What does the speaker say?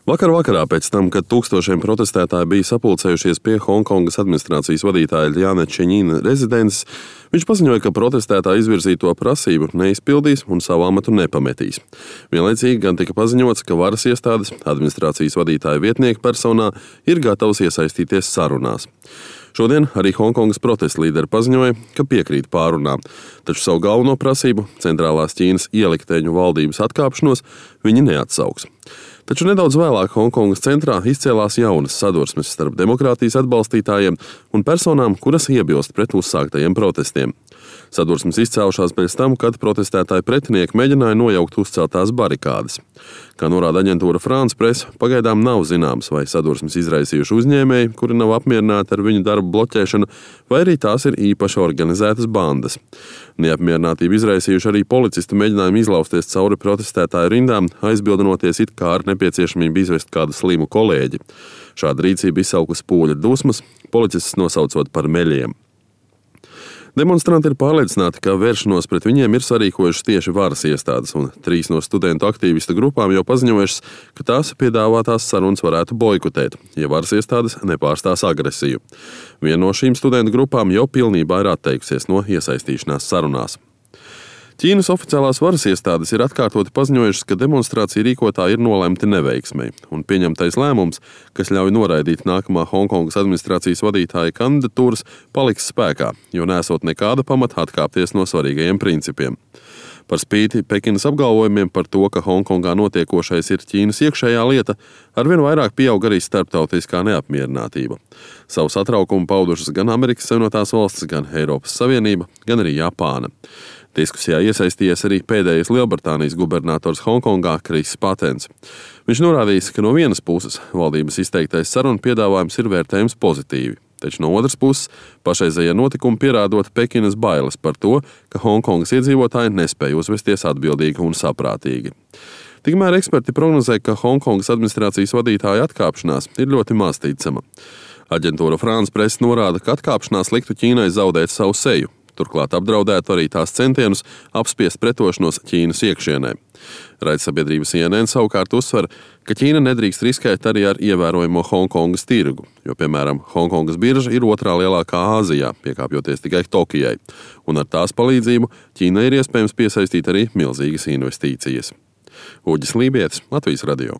Vakar vakarā pēc tam, kad tūkstošiem protestētāji bija sapulcējušies pie Hongkongas administrācijas vadītāja Ļāna Čeņina rezidences, viņš paziņoja, ka protestētāji izvirzīto prasību neizpildīs un savu amatu nepametīs. Vienlaicīgi gan tika paziņots, ka varas iestādes administrācijas vadītāja vietnieka personā ir gatavas iesaistīties sarunās. Šodien arī Hongkongas protesta līderi paziņoja, ka piekrīt pārunām, taču savu galveno prasību, centrālās Ķīnas ielikteņu valdības atkāpšanos, viņi neatsauks. Taču nedaudz vēlāk Hongkongas centrā izcēlās jaunas sadursmes starp demokrātijas atbalstītājiem un personām, kuras iebilst pret uzsāktajiem protestiem. Sadursmes izcēlušās pēc tam, kad protestētāji pretinieki mēģināja nojaukt uzceltās barikādes. Kā norāda aģentūra France Press, pagaidām nav zināms, vai sadursmes izraisījuši uzņēmēji, kuri nav apmierināti ar viņu darbu bloķēšanu, vai arī tās ir īpaši organizētas bandas. Neapmierinātību izraisījuši arī policisti mēģinājumi izlausties cauri protestētāju rindām, aizbildinoties it kā ar nepieciešamību izvest kādu slimu kolēģi. Šāda rīcība izsaukusi pūļa dusmas, policists nosaucot par meļiem. Demonstranti ir pārliecināti, ka vēršanos pret viņiem ir sarīkojušas tieši varas iestādes, un 3 no studentu aktīvistu grupām jau paziņojušas, ka tās piedāvātās sarunas varētu boikotēt, ja varas iestādes nepārstās agresiju. Viena no šīm studentu grupām jau pilnībā ir atteikusies no iesaistīšanās sarunās. Ķīnas oficiālās varas iestādes ir atkārtoti paziņojušas, ka demonstrāciju rīkotāji ir nolemti neveiksmei, un pieņemtais lēmums, kas ļauj noraidīt nākamā Hongkongas administrācijas vadītāja kandidatūras, paliks spēkā, jo nesot nekāda pamata atkāpties no svarīgajiem principiem. Par spīti Pekinas apgalvojumiem par to, ka Hongkongā notiekošais ir Ķīnas iekšējā lieta, arvien vairāk pieaug arī starptautiskā neapmierinātība. Savu satraukumu paudušas gan Amerikas Savienotās valstis, gan Eiropas Savienība, gan arī Japāna. Diskusijā iesaistījies arī pēdējais Lielbritānijas gubernators Hongkongā Kris Patens. Viņš norādījis, ka no vienas puses valdības izteiktais sarunu piedāvājums ir vērtējums pozitīvi, taču no otras puses pašreizējie notikumi pierādot Pekinas bailes par to, ka Hongkongas iedzīvotāji nespēja uzvesties atbildīgi un saprātīgi. Tikmēr eksperti prognozē, ka Hongkongas administrācijas vadītāja atkāpšanās ir ļoti maz ticama. Aģentūra France Press norāda, ka atkāpšanās liktu Ķīnai zaudēt savu seju. Turklāt apdraudētu arī tās centienus apspiest pretošanos Ķīnas iekšienē. Raidsabiedrības CNN savukārt uzsver, ka Ķīna nedrīkst riskēt arī ar ievērojamo Hongkongas tirgu, jo, piemēram, Hongkongas birža ir otrā lielākā Āzijā, piekāpjoties tikai Tokijai, un ar tās palīdzību Ķīnai ir iespējams piesaistīt arī milzīgas investīcijas. Uģis Lībietis, Latvijas radio.